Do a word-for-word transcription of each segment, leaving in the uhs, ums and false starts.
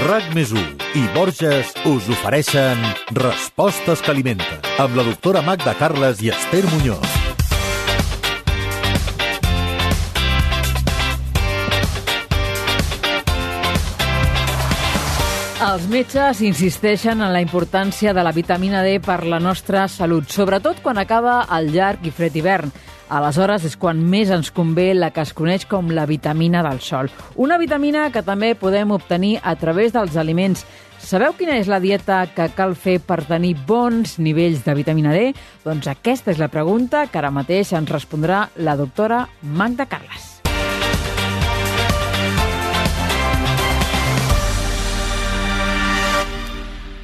RAC més u i Borges us ofereixen Respostes que alimenten, amb la doctora Magda Carles i Esther Muñoz. Els metges insisteixen en la importància de la vitamina D per la nostra salut, sobretot quan acaba el llarg i fred hivern. Aleshores és quan més ens convé la que es coneix com la vitamina del sol. Una vitamina que també podem obtenir a través dels aliments. Sabeu quina és la dieta que cal fer per tenir bons nivells de vitamina D? Doncs aquesta és la pregunta que ara mateix ens respondrà la doctora Magda Carles.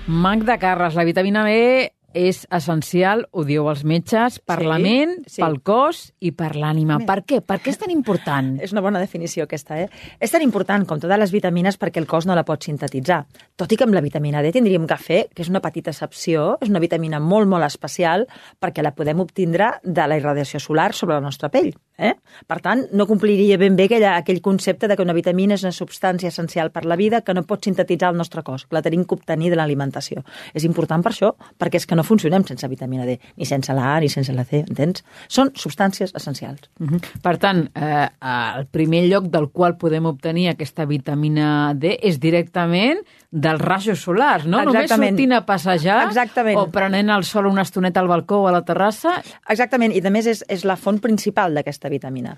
Magda Carles, la vitamina B és essencial, ho dieu els metges, per sí, la ment, sí. pel cos i per l'ànima. Per què? Per què és tan important? És una bona definició aquesta, eh? És tan important com totes les vitamines perquè el cos no la pot sintetitzar. Tot i que amb la vitamina D tindríem que fer, que és una petita excepció, és una vitamina molt, molt especial perquè la podem obtindre de la irradiació solar sobre la nostra pell. Eh? Per tant, no compliria ben bé aquell, aquell concepte de que una vitamina és una substància essencial per la vida que no pot sintetitzar el nostre cos, que la tenim que obtenir de l'alimentació. És important per això, perquè és que no funcionem sense vitamina D, ni sense la A, ni sense la C, entens? Són substàncies essencials. Uh-huh. Per tant, eh, el primer lloc del qual podem obtenir aquesta vitamina D és directament dels rajos solars, no? Exactament. Només sortint a passejar Exactament. o prenent el sol una estoneta al balcó o a la terrassa. Exactament, i a més és, és la font principal d'aquesta vitamina.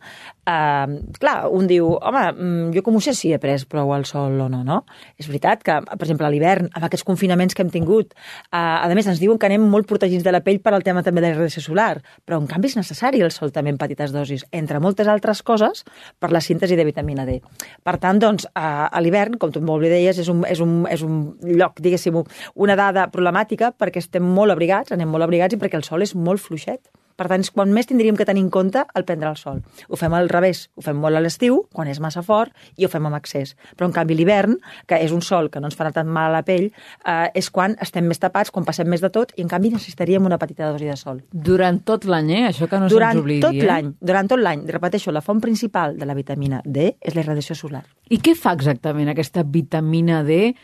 Uh, clar, un diu, home, jo com ho sé si he pres prou al sol o no, no? És veritat que, per exemple, a l'hivern, amb aquests confinaments que hem tingut, uh, a més ens diuen que anem molt protegits de la pell per al tema també de la radiació solar, però en canvi és necessari el sol també en petites dosis, entre moltes altres coses, per la síntesi de vitamina D. Per tant, doncs, uh, a l'hivern, com tu molt bé deies, és un, és un és un lloc, diguéssim, una dada problemàtica perquè estem molt abrigats, anem molt abrigats i perquè el sol és molt fluixet. Per tant, és quan més tindríem que tenir en compte el prendre el sol. Ho fem al revés, ho fem molt a l'estiu, quan és massa fort, i ho fem amb excés. Però, en canvi, l'hivern, que és un sol que no ens farà tant mal a la pell, eh, és quan estem més tapats, quan passem més de tot, i, en canvi, necessitaríem una petita dosi de sol. Durant tot l'any, eh? Això que no durant se'ns oblidi, tot eh? l'any, durant tot l'any. Repeteixo, la font principal de la vitamina D és la irradiació solar. I què fa exactament aquesta vitamina D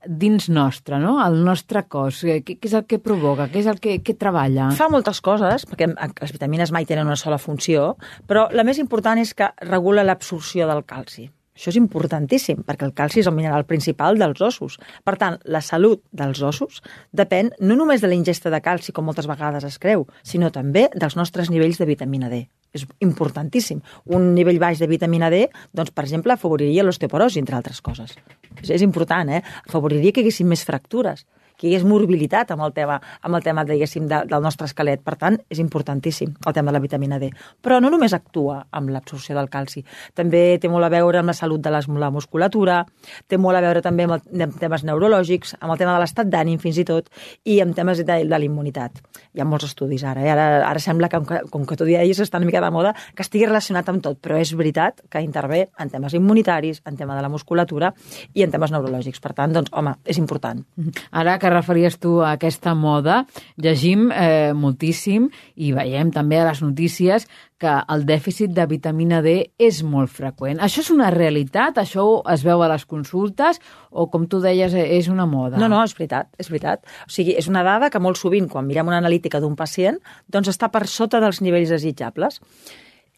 dins nostre, no? El nostre cos? Què, què és el que provoca? Què és el que, que treballa? Fa moltes coses, perquè les vitamines mai tenen una sola funció, però la més important és que regula l'absorció del calci. Això és importantíssim, perquè el calci és el mineral principal dels ossos. Per tant, la salut dels ossos depèn no només de la ingesta de calci, com moltes vegades es creu, sinó també dels nostres nivells de vitamina D. És importantíssim. Un nivell baix de vitamina D, doncs, per exemple, afavoriria l'osteoporosi, entre altres coses. És, és important, eh? Afavoriria que hi haguessin més fractures, que hi hagués morbilitat amb el tema, amb el tema diguéssim, de, del nostre esquelet. Per tant, és importantíssim el tema de la vitamina D. Però no només actua amb l'absorció del calci, també té molt a veure amb la salut de les, la musculatura, té molt a veure també amb, el, amb temes neurològics, amb el tema de l'estat d'ànim fins i tot, i amb temes de, de la immunitat. Hi ha molts estudis ara, eh? ara, ara sembla que, com que tu deies, està una mica de moda, que estigui relacionat amb tot, però és veritat que intervé en temes immunitaris, en tema de la musculatura i en temes neurològics. Per tant, doncs, home, és important. Ara que referies tu a aquesta moda, llegim eh, moltíssim i veiem també a les notícies que el dèficit de vitamina D és molt freqüent. Això és una realitat? Això es veu a les consultes? O, com tu deies, és una moda? No, no, és veritat, és veritat. O sigui, és una dada que molt sovint, quan mirem una analítica d'un pacient, doncs està per sota dels nivells desitjables.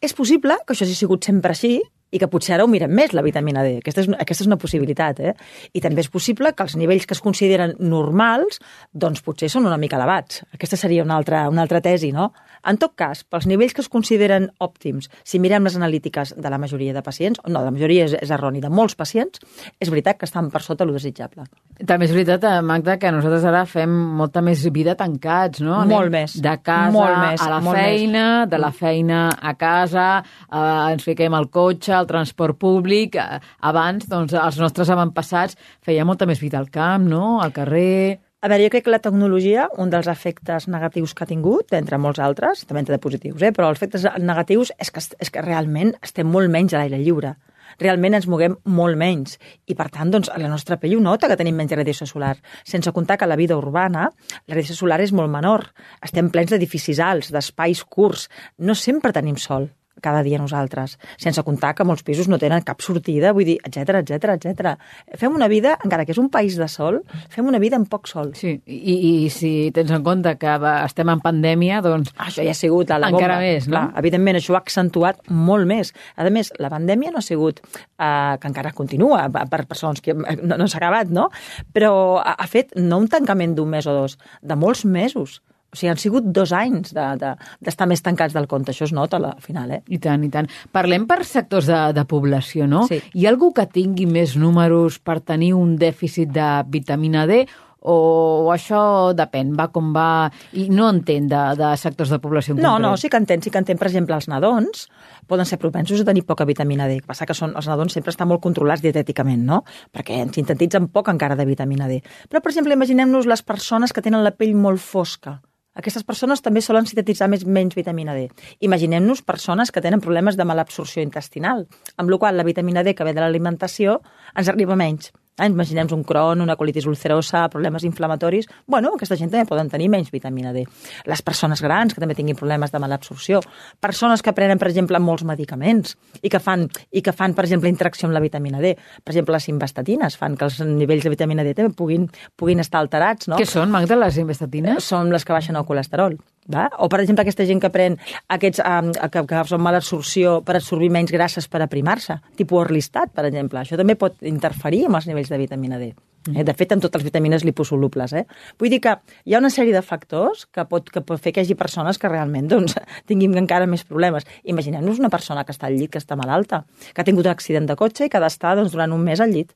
És possible que això hagi sigut sempre així, i que potser ara ho mirem més, la vitamina D. Aquesta és, aquesta és una possibilitat, eh? I també és possible que els nivells que es consideren normals, doncs potser són una mica elevats. Aquesta seria una altra, una altra tesi, no? En tot cas, pels nivells que es consideren òptims, si mirem les analítiques de la majoria de pacients, no, la majoria és, és erroni, de molts pacients, és veritat que estan per sota lo desitjable. També és veritat, Magda, que nosaltres ara fem molta més vida tancats, no? Molt Anem més. De casa molt més, a la molt feina, més. de la feina a casa, eh, ens fiquem al cotxe, al transport públic. Abans, doncs, els nostres avantpassats feien molta més vida al camp, no? Al carrer. A veure, jo crec que la tecnologia, un dels efectes negatius que ha tingut, entre molts altres, també en té de positius, eh? Però els efectes negatius és que, és que realment estem molt menys a l'aire lliure. Realment ens moguem molt menys i, per tant, doncs, la nostra pell ho nota que tenim menys radiació solar. Sense comptar que a la vida urbana la radiació solar és molt menor. Estem plens d'edificis alts, d'espais curts. No sempre tenim sol. cada dia nosaltres, sense comptar que molts pisos no tenen cap sortida, vull dir, etcètera, etcètera, etcètera. Fem una vida, encara que és un país de sol, fem una vida amb poc sol. Sí, i, i si tens en compte que va, estem en pandèmia, doncs... Això ja ha sigut la, la bomba. Encara més, no? Clar, evidentment, això ho ha accentuat molt més. A més, la pandèmia no ha sigut, eh, que encara continua, per persones que no, no s'ha acabat, no? Però ha, ha fet no un tancament d'un mes o dos, de molts mesos. O sigui, han sigut dos anys d'estar de, de, més tancats del compte. Això es nota al final, eh? I tant, i tant. Parlem per sectors de, de població, no? Sí. Hi ha algú que tingui més números per tenir un dèficit de vitamina D o això depèn, va com va, i no entén de, de sectors de població en no, concret? No, sí que entén, sí que entén. Per exemple, els nadons poden ser propensos a tenir poca vitamina D. El que passa que són, els nadons sempre estan molt controlats dietèticament, no? Perquè ens sintetitzen poc encara de vitamina D. Però, per exemple, imaginem-nos les persones que tenen la pell molt fosca. Aquestes persones també solen sintetitzar més, menys vitamina D. Imaginem-nos persones que tenen problemes de malabsorció intestinal, amb la qual la vitamina D que ve de l'alimentació ens arriba menys. Eh, Imaginem un Crohn, una colitis ulcerosa, problemes inflamatoris. Bueno, aquesta gent també poden tenir menys vitamina D. Les persones grans que també tinguin problemes de malabsorció. Persones que prenen, per exemple, molts medicaments i que fan, i que fan per exemple, interacció amb la vitamina D. Per exemple, les simvastatines fan que els nivells de vitamina D també puguin, puguin estar alterats. No? Què són, Magda, les simvastatines? Són les que baixen el colesterol. Va? O, per exemple, aquesta gent que pren aquests um, que, que són mala absorció per absorbir menys grasses per aprimar-se, tipus Orlistat, per exemple. Això també pot interferir amb els nivells de vitamina D. Eh? De fet, amb totes les vitamines liposolubles. Eh? Vull dir que hi ha una sèrie de factors que pot, que pot fer que hi hagi persones que realment doncs, tinguin encara més problemes. Imaginem-nos una persona que està al llit, que està malalta, que ha tingut un accident de cotxe i que ha d'estar doncs, durant un mes al llit.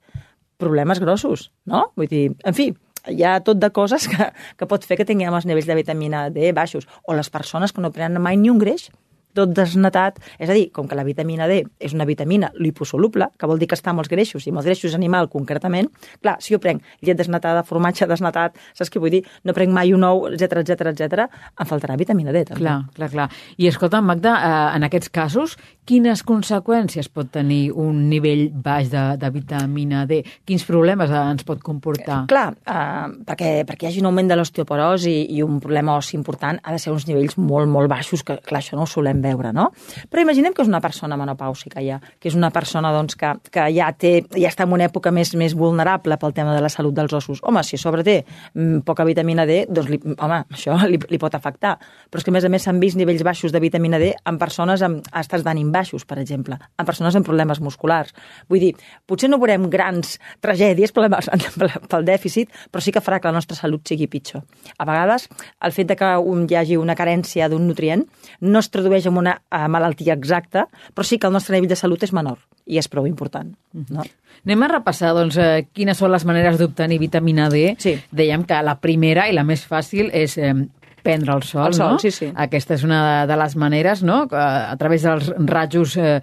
Problemes grossos, no? Vull dir, en fi, hi ha tot de coses que, que pot fer que tinguem els nivells de vitamina D baixos. O les persones que no prenen mai ni un greix, tot desnatat. És a dir, com que la vitamina D és una vitamina liposoluble, que vol dir que està amb els greixos, i amb els greixos animal concretament, clar, si jo prenc llet desnatada, formatge desnatat, saps què vull dir? No prenc mai un ou, etcètera, etcètera, etcètera, em faltarà vitamina D, també. Clar, clar, clar. I escolta, Magda, eh, en aquests casos, quines conseqüències pot tenir un nivell baix de, de vitamina D? Quins problemes eh, ens pot comportar? Clar, eh, perquè, perquè hi hagi un augment de l'osteoporosi i un problema ossi important, ha de ser uns nivells molt, molt baixos, que clar, això no ho solem veure, no? Però imaginem que és una persona menopàusica ja, que és una persona doncs, que, que ja, té, ja està en una època més, més vulnerable pel tema de la salut dels ossos. Home, si a sobre té mm, poca vitamina D, doncs li, home, això li, li pot afectar. Però és que a més a més s'han vist nivells baixos de vitamina D en persones amb estats d'ànim baixos, per exemple, en persones amb problemes musculars. Vull dir, potser no veurem grans tragèdies problemes pel dèficit, però sí que farà que la nostra salut sigui pitjor. A vegades, el fet de que un, hi hagi una carència d'un nutrient no es tradueix en una uh, malaltia exacta, però sí que el nostre nivell de salut és menor i és prou important. No? Anem a repassar doncs, eh, quines són les maneres d'obtenir vitamina D. Sí. Dèiem que la primera i la més fàcil és eh, prendre el sol, el sol, no? Sí, sí. Aquesta és una de, de les maneres, no? A través dels rajos eh,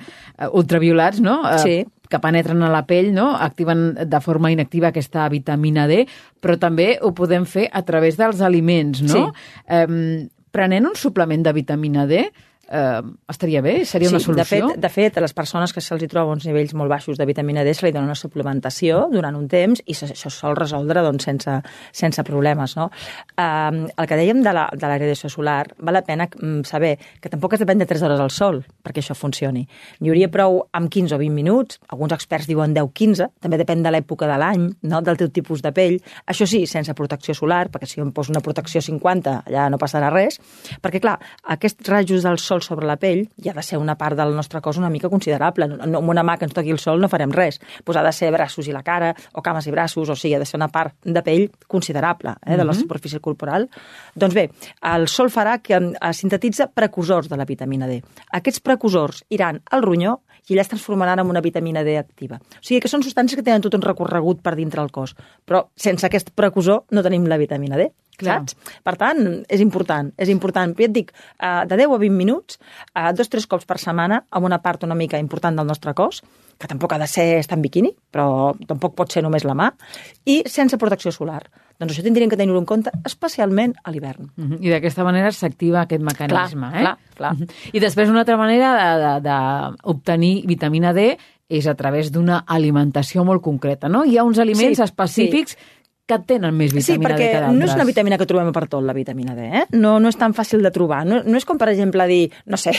ultraviolats, no? Eh, sí. que penetren a la pell, no? Activen de forma inactiva aquesta vitamina D, però també ho podem fer a través dels aliments, no? Sí. Eh, prenent un suplement de vitamina D, eh, estaria bé? Seria sí, una solució? De fet, de fet, a les persones que se'ls hi troba uns nivells molt baixos de vitamina D se li dona una suplementació durant un temps i això sol resoldre doncs, sense, sense problemes. No? Um, el que dèiem de la, de la radiació solar, val la pena saber que tampoc es depèn de tres hores al sol perquè això funcioni. N'hi hauria prou amb quinze o vint minuts, alguns experts diuen deu a quinze, també depèn de l'època de l'any, no? Del teu tipus de pell. Això sí, sense protecció solar, perquè si jo em poso una protecció cinquanta, allà no passarà res, perquè clar, aquests rajos del sol sobre la pell hi ha de ser una part del nostre cos una mica considerable. No, amb una mà que ens toqui el sol no farem res. Pues ha de ser braços i la cara, o cames i braços, o sigui, ha de ser una part de pell considerable eh, de la superfície corporal. Doncs bé, el sol farà que es sintetitza precursors de la vitamina D. Aquests precursors iran al ronyó i allà es transformaran en una vitamina D activa. O sigui que són substàncies que tenen tot un recorregut per dintre el cos, però sense aquest precursor no tenim la vitamina D. Clar. Saps? Per tant, és important, és important. Però ja et dic, de deu a vint minuts, dos o tres cops per setmana, amb una part una mica important del nostre cos, que tampoc ha de ser estar en biquini, però tampoc pot ser només la mà, i sense protecció solar. Doncs això tindríem que tenir-ho en compte, especialment a l'hivern. Uh-huh. I d'aquesta manera s'activa aquest mecanisme. Clar, eh? clar, clar. Uh-huh. I després una altra manera d'obtenir vitamina D és a través d'una alimentació molt concreta, no? Hi ha uns aliments sí, específics sí. que tenen més vitamina sí, D que d'altres. Sí, perquè no és una vitamina que trobem per tot, la vitamina D. Eh? No, no és tan fàcil de trobar. No, no és com, per exemple, dir, no sé,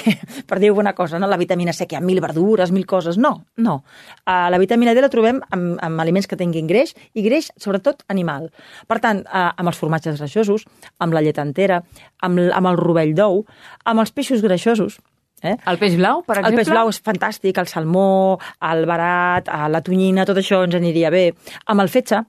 per dir alguna cosa, no? La vitamina C, que hi ha mil verdures, mil coses. No, no. Uh, la vitamina D la trobem amb, amb aliments que tinguin greix, i greix, sobretot, animal. Per tant, uh, amb els formatges greixosos, amb la llet entera, amb, amb el rovell d'ou, amb els peixos greixosos. Eh? El peix blau, per exemple? El peix blau és fantàstic, el salmó, el barat, la tonyina, tot això ens aniria bé. Amb el fetge,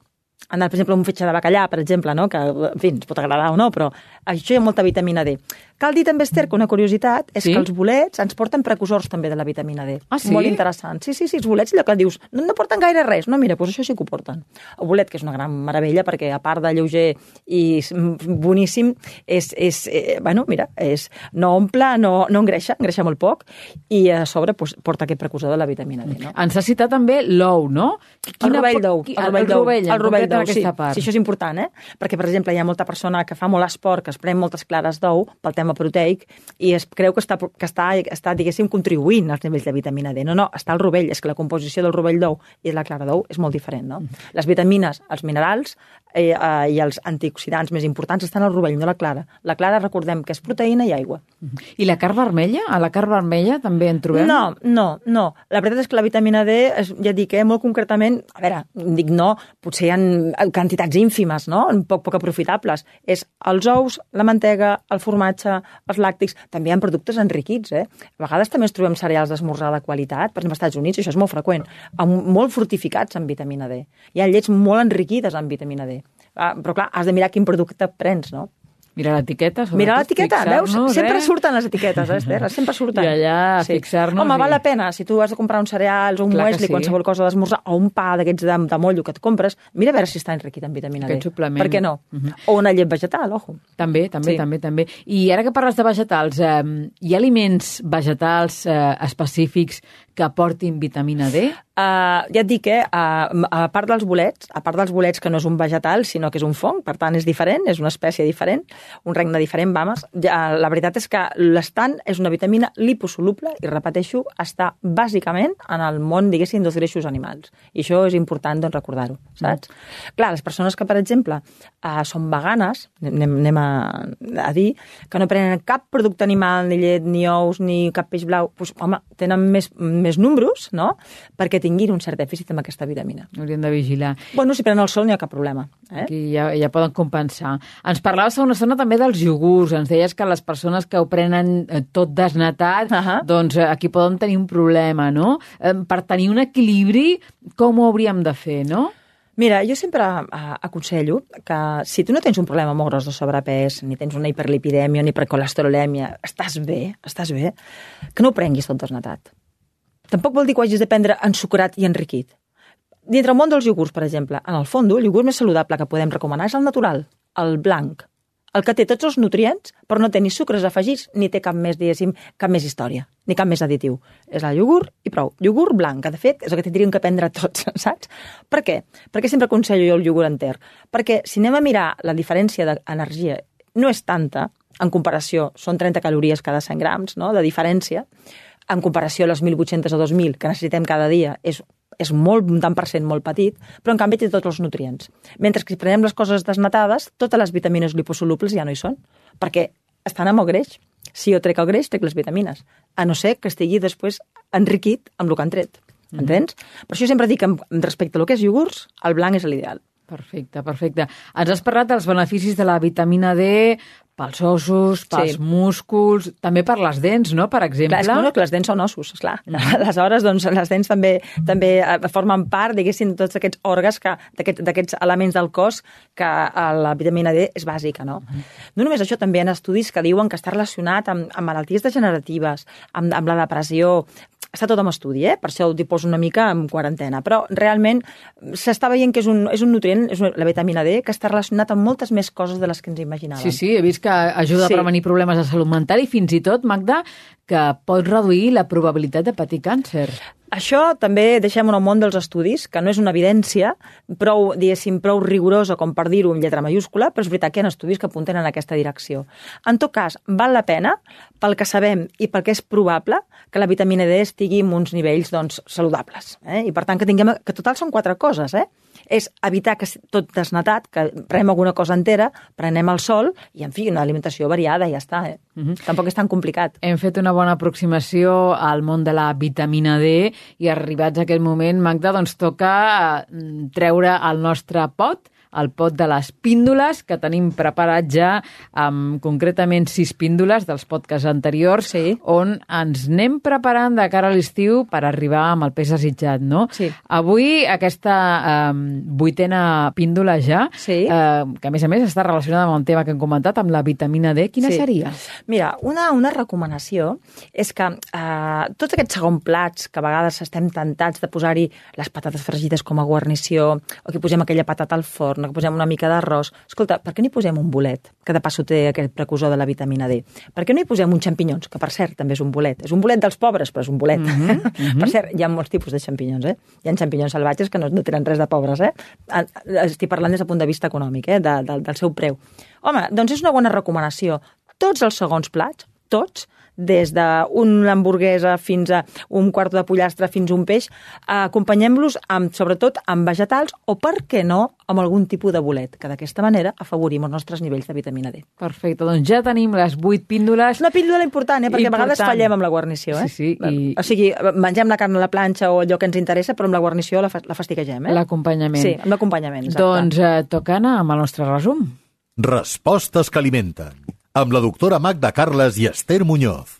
anar, per exemple, un fetge de bacallà, per exemple, no? Que, en fi, ens pot agradar o no, però això hi ha molta vitamina D. Cal dir també, Esther, que una curiositat és sí? que els bolets ens porten precursors també de la vitamina D. Ah, sí? Molt interessant. Sí, sí, sí, els bolets, allò que dius, no, no porten gaire res. No, mira, doncs això sí que ho porten. El bolet, que és una gran meravella, perquè a part de lleuger i boníssim, és, és eh, bueno, mira, és, no omple, no, no engreixa, engreixa molt poc, i a sobre pues, porta aquest precursor de la vitamina D. No? Ens ha citat també l'ou, no? Quina, el rovell d'ou. El rovell d'ou, el rovell d'ou, sí. Part. Sí, això és important, eh? Perquè, per exemple, hi ha molta persona que fa molt esport, que es pren moltes clares d'ou pel tema proteic i es creu que està, que està, està, diguéssim, contribuint als nivells de vitamina D. No, no, està el rovell. És que la composició del rovell d'ou i la clara d'ou és molt diferent, no? Mm. Les vitamines, els minerals eh, eh, i els antioxidants més importants estan al rovell, no la clara. La clara, recordem que és proteïna i aigua. Mm. I la carn vermella? A la carn vermella també en trobem? No, no, no. La veritat és que la vitamina D, ja dic, eh, molt concretament, a veure, dic no, potser hi ha quantitats ínfimes, no? Poc, poc aprofitables. És els ous, la mantega, el formatge, els làctics, també hi ha productes enriquits, eh? A vegades també ens trobem cereals d'esmorzar de qualitat, per exemple, als Estats Units, això és molt freqüent, amb, molt fortificats amb vitamina D. Hi ha llets molt enriquides amb vitamina D. Ah, però clar, has de mirar quin producte prens, no? Mira l'etiqueta. Mira l'etiqueta, veus? Sempre eh? surten les etiquetes, eh, Esther? Sempre surten. I allà sí. fixar-nos... Home, i... val la pena. Si tu has de comprar uns cereals o un Clar muesli, sí. qualsevol cosa d'esmorzar, o un pa d'aquests de, de mollo que et compres, mira a veure si està enriquit en vitamina Aquest D. suplement. Per què no? Uh -huh. O una llet vegetal, ojo. També, també, sí. també, també. I ara que parles de vegetals, eh, hi ha aliments vegetals eh, específics que aportin vitamina D? Uh, ja et dic, eh, uh, a part dels bolets, a part dels bolets que no és un vegetal, sinó que és un fong, per tant és diferent, és una espècie diferent, un regne diferent, vamos. Ja, la veritat és que l'estant és una vitamina liposoluble i, repeteixo, està bàsicament en el món, diguéssim, dels greixos animals. I això és important, doncs, recordar-ho, saps? Mm. Clar, les persones que, per exemple, uh, són veganes, anem, anem a, a dir, que no prenen cap producte animal, ni llet, ni ous, ni cap peix blau, doncs, home, tenen més, més números, no?, perquè tinguin un cert dèficit amb aquesta vitamina. Hauríem de vigilar. Bueno, si prenen el sol no hi ha cap problema. Eh? Aquí ja, ja poden compensar. Ens parlaves fa una estona també dels iogurts. Ens deies que les persones que ho prenen tot desnatat, uh -huh. doncs aquí poden tenir un problema, no? Per tenir un equilibri, com ho hauríem de fer, no? Mira, jo sempre uh, aconsello que si tu no tens un problema molt gros de sobrepès, ni tens una hiperlipidèmia, ni hipercolesterolèmia, estàs bé, estàs bé, que no ho prenguis tot desnatat. Tampoc vol dir que ho hagis de prendre ensucrat i enriquit. Dintre el món dels iogurts, per exemple, en el fons, el iogurt més saludable que podem recomanar és el natural, el blanc, el que té tots els nutrients, però no té ni sucres afegits, ni té cap més, diguéssim, cap més història, ni cap més additiu. És el iogurt i prou. Iogurt blanc, que de fet és el que tindríem que prendre tots, saps? Per què? Perquè sempre aconsello jo el iogurt enter. Perquè si anem a mirar la diferència d'energia, no és tanta, en comparació, són trenta calories cada cent grams, no?, de diferència, en comparació a les mil vuit-cents o dos mil que necessitem cada dia, és, és molt, un tant per cent molt petit, però en canvi té tots els nutrients. Mentre que si prenem les coses desnatades, totes les vitamines liposolubles ja no hi són, perquè estan amb el greix. Si jo trec el greix, trec les vitamines, a no ser que estigui després enriquit amb el que han tret. Mm. Entens? Per això sempre dic que respecte al que és iogurts, el blanc és l'ideal. Perfecte, perfecte. Ens has parlat dels beneficis de la vitamina D pels ossos, pels sí. músculs, també per les dents, no?, per exemple. Clar, és que, no, que les dents són ossos, esclar. Mm. Aleshores, doncs, les dents també també formen part, diguéssim, de tots aquests òrgans, d'aquests aquest, elements del cos, que la vitamina D és bàsica, no? Mm. No només això, també hi ha estudis que diuen que està relacionat amb, amb malalties degeneratives, amb, amb la depressió. Està tot en estudi, eh? Per això ho poso una mica en quarantena, però realment s'està veient que és un, és un nutrient, és la vitamina D, que està relacionat amb moltes més coses de les que ens imaginàvem. Sí, sí, he vist que ajuda sí. a prevenir problemes de salut mental i fins i tot, Magda, que pot reduir la probabilitat de patir càncer. Això també deixem en el món dels estudis, que no és una evidència prou, diguéssim, prou rigorosa com per dir-ho en lletra mayúscula, però és veritat que hi ha estudis que apunten en aquesta direcció. En tot cas, val la pena, pel que sabem i pel que és probable, que la vitamina D estigui en uns nivells doncs, saludables. Eh? I per tant, que tinguem, que total són quatre coses, eh? és evitar que tot desnatat, que prenem alguna cosa entera, prenem el sol i, en fi, una alimentació variada i ja està. Eh? Uh-huh. Tampoc és tan complicat. Hem fet una bona aproximació al món de la vitamina D i arribats a aquest moment, Magda, doncs toca treure el nostre pot, el pot de les píndoles, que tenim preparat ja amb concretament sis píndoles dels podcasts anteriors, sí. on ens anem preparant de cara a l'estiu per arribar amb el pes desitjat, no? Sí. Avui aquesta eh, vuitena píndola ja, sí. eh, que a més a més està relacionada amb el tema que hem comentat, amb la vitamina D, quina sí. seria? Mira, una, una recomanació és que eh, tots aquests segon plats que a vegades estem tentats de posar-hi les patates fregides com a guarnició, o que posem aquella patata al forn, que posem una mica d'arròs. Escolta, per què no hi posem un bolet, que de passo té aquest precursor de la vitamina D? Per què no hi posem uns xampinyons, que per cert també és un bolet? És un bolet dels pobres, però és un bolet. Mm-hmm, mm-hmm. Per cert, hi ha molts tipus de xampinyons, eh? Hi ha xampinyons salvatges que no, no tenen res de pobres, eh? Estic parlant des del punt de vista econòmic, eh? De, de, del seu preu. Home, doncs és una bona recomanació. Tots els segons plats, tots, des d'una hamburguesa fins a un quart de pollastre fins a un peix, acompanyem-los amb, sobretot amb vegetals o, per què no, amb algun tipus de bolet, que d'aquesta manera afavorim els nostres nivells de vitamina D. Perfecte, doncs ja tenim les vuit píndoles. Una píndola important, eh? Perquè important. A vegades fallem amb la guarnició. Eh? Sí, sí. I... O sigui, mengem la carn a la planxa o allò que ens interessa, però amb la guarnició la, fa la fastiguegem. Eh? L'acompanyament. Sí, amb l'acompanyament. Doncs eh, toca anar amb el nostre resum. Respostes que alimenten. Amb la doctora Magda Carles i Esther Muñoz.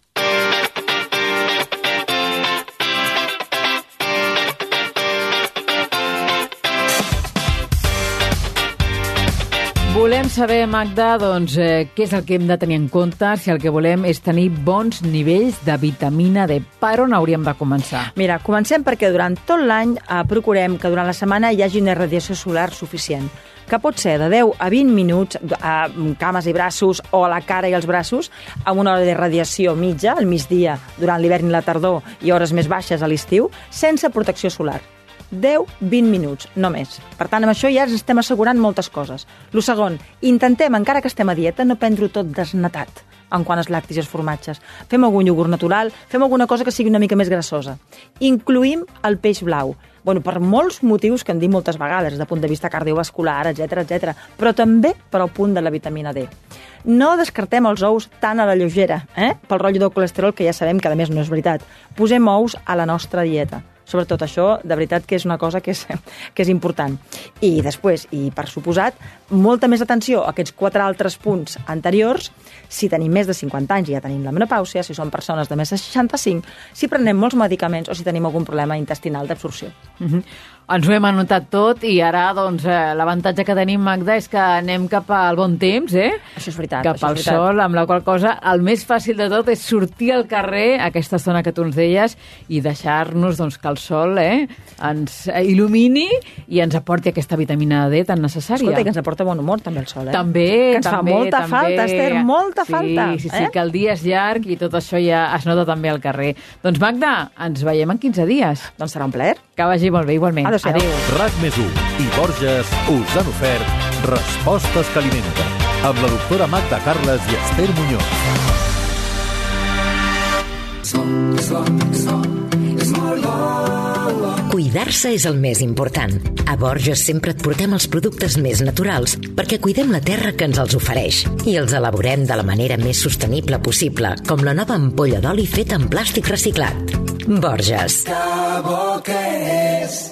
Volem saber, Magda, doncs, eh, què és el que hem de tenir en compte si el que volem és tenir bons nivells de vitamina D. Per on hauríem de començar? Mira, comencem perquè durant tot l'any eh, procurem que durant la setmana hi hagi una radiació solar suficient, que pot ser de deu a vint minuts a cames i braços o a la cara i els braços, amb una hora de radiació mitja, al migdia, durant l'hivern i la tardor, i hores més baixes a l'estiu, sense protecció solar. deu a vint minuts, no més. Per tant, amb això ja ens estem assegurant moltes coses. Lo segon, intentem, encara que estem a dieta, no prendre-ho tot desnatat en quant als lactis i els formatges. Fem algun iogurt natural, fem alguna cosa que sigui una mica més grassosa. Incluïm el peix blau. Bueno, per molts motius que hem dit moltes vegades, des del punt de vista cardiovascular, etcètera, etcètera, però també per al punt de la vitamina D. No descartem els ous tan a la lleugera, eh? Pel rotllo del colesterol, que ja sabem que a més no és veritat. Posem ous a la nostra dieta. Sobretot això, de veritat que és una cosa que és, que és important. I després, i per suposat, molta més atenció a aquests quatre altres punts anteriors, si tenim més de cinquanta anys i ja tenim la menopàusia, si som persones de més de seixanta-cinc, si prenem molts medicaments o si tenim algun problema intestinal d'absorció. Mm-hmm. Ens ho hem anotat tot i ara, doncs, eh, l'avantatge que tenim, Magda, és que anem cap al bon temps, eh? Això és veritat. Cap això al és veritat. sol, amb la qual cosa, el més fàcil de tot és sortir al carrer, aquesta estona que tu ens deies, i deixar-nos, doncs, que el sol eh, ens il·lumini i ens aporti aquesta vitamina D tan necessària. Escolta, i que ens aporta bon humor, també, el sol, eh? També, que ens també, fa molta també. falta, Esther, molta sí, falta. Sí, sí, eh? que el dia és llarg i tot això ja es nota també al carrer. Doncs, Magda, ens veiem en quinze dies. Doncs serà un plaer. Que vagi molt bé, igualment. Adéu-siau. Adéu. RAC més u i Borges us han ofert Respostes que alimenten amb la doctora Magda Carles i Esther Muñoz. Cuidar-se és el més important. A Borges sempre et portem els productes més naturals perquè cuidem la terra que ens els ofereix i els elaborem de la manera més sostenible possible, com la nova ampolla d'oli feta en plàstic reciclat. Borges. Que bo que és